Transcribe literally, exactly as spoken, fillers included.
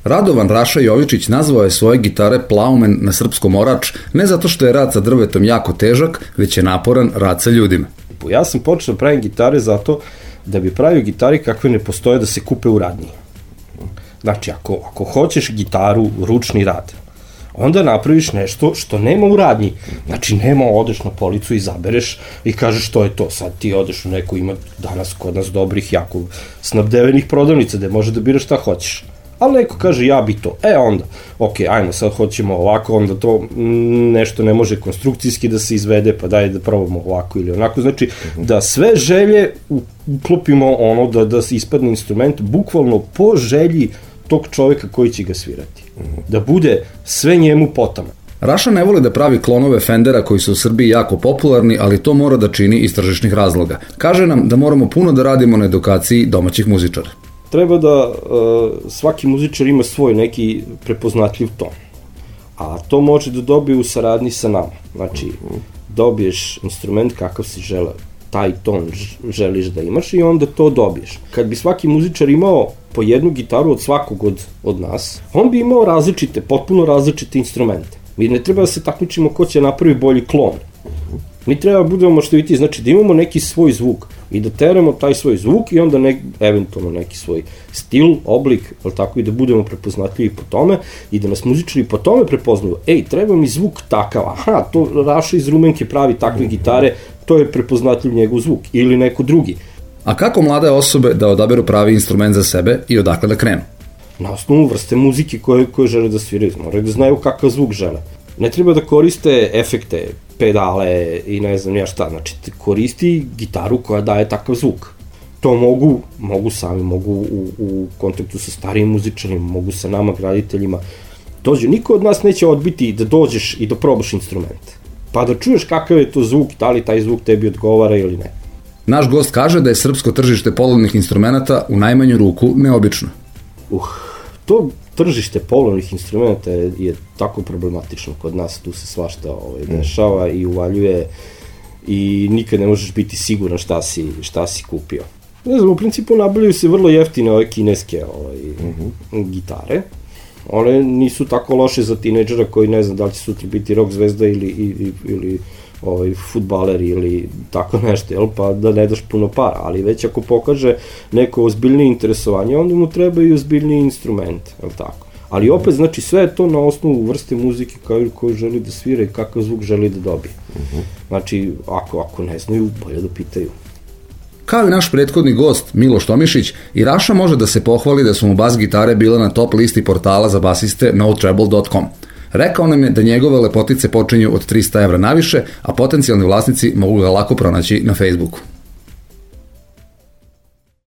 Radovan Raša Jovičić nazvao je svoje gitare plaumen na srpskom orač ne zato što je rad sa drvetom jako težak, već je naporan rad sa ljudima. Ja sam počeo da pravim gitare zato da bi pravio gitari kakve ne postoje da se kupe u radnji. Znači, ako, ako hoćeš gitaru, ručni rad, onda napraviš nešto što nema u radnji. Znači, nema, odeš na policu, izabereš i kažeš što je to. Sad ti odeš u neku, ima danas kod nas dobrih, jako snabdevenih prodavnica gde može da biraš šta hoćeš. Ali neko kaže ja bi to. E onda, ok, ajmo, sad hoćemo ovako, onda to nešto ne može konstrukcijski da se izvede, pa daj da probamo ovako ili onako. Znači, da sve želje uklopimo ono, da, da se ispadne instrument bukvalno po želji tog čoveka koji će ga svirati. Da bude sve njemu potama. Raša ne voli da pravi klonove Fendera koji su u Srbiji jako popularni, ali to mora da čini iz tržišnih razloga. Kaže nam da moramo puno da radimo na edukaciji domaćih muzičara. Treba da uh, svaki muzičar ima svoj neki prepoznatljiv ton. A to može da dobije u saradnji sa nama. Znači, dobiješ instrument kakav si želeo, taj ton želiš da imaš i onda to dobiješ. Kad bi svaki muzičar imao po jednu gitaru od svakog od, od nas, on bi imao različite, potpuno različite instrumente. Mi ne treba da se takmičimo ko će napravi bolji klon. Mi treba da budemo maštoviti, znači da imamo neki svoj zvuk i da teramo taj svoj zvuk i onda nek, eventualno neki svoj stil, oblik, ali tako i da budemo prepoznatljivi po tome i da nas muzičari po tome prepoznaju. Ej, treba mi zvuk takav, aha, to Raša iz Rumenke pravi takve gitare, to je prepoznatljiv njegov zvuk ili neko drugi. A kako mlade osobe da odaberu pravi instrument za sebe i odakle da krenu? Na osnovu vrste muzike koje, koje žele da sviraju, moraju da znaju kakav zvuk žele. Ne treba da koriste efekte, pedale i ne znam ja šta, znači koristi gitaru koja daje takav zvuk. To mogu, mogu sami, mogu u, u kontaktu sa starijim muzičarima, mogu sa nama graditeljima. Dođe, niko od nas neće odbiti da dođeš i da probaš instrument. Pa da čuješ kakav je to zvuk, da li taj zvuk tebi odgovara ili ne. Naš gost kaže da je srpsko tržište polovnih instrumenata u najmanju ruku neobično. Uh, to tržište polovnih instrumenta je, je tako problematično kod nas, tu se svašta ovaj, dešava i uvaljuje i nikad ne možeš biti siguran šta si, šta si kupio. Ne znam, u principu nabavljaju se vrlo jeftine ove kineske ovaj, uh-huh. gitare. One nisu tako loše za tinejdžera koji ne znam da li će sutra biti rock zvezda ili, ili, ili ovaj, fudbaler ili tako nešto, jel? Pa da ne daš puno para, ali već ako pokaže neko ozbiljnije interesovanje, onda mu treba i ozbiljniji instrument, jel tako? Ali opet, znači, sve je to na osnovu vrste muzike koju, koju želi da svira i kakav zvuk želi da dobije. Uh-huh. Znači, ako, ako ne znaju, bolje da pitaju. Kao i naš prethodni gost, Miloš Tomišić, i Raša može da se pohvali da su mu bas gitare bile na top listi portala za basiste no treble dot com. Rekao nam je da njegove lepotice počinju od trista evra naviše, a potencijalni vlasnici mogu ga lako pronaći na Facebooku.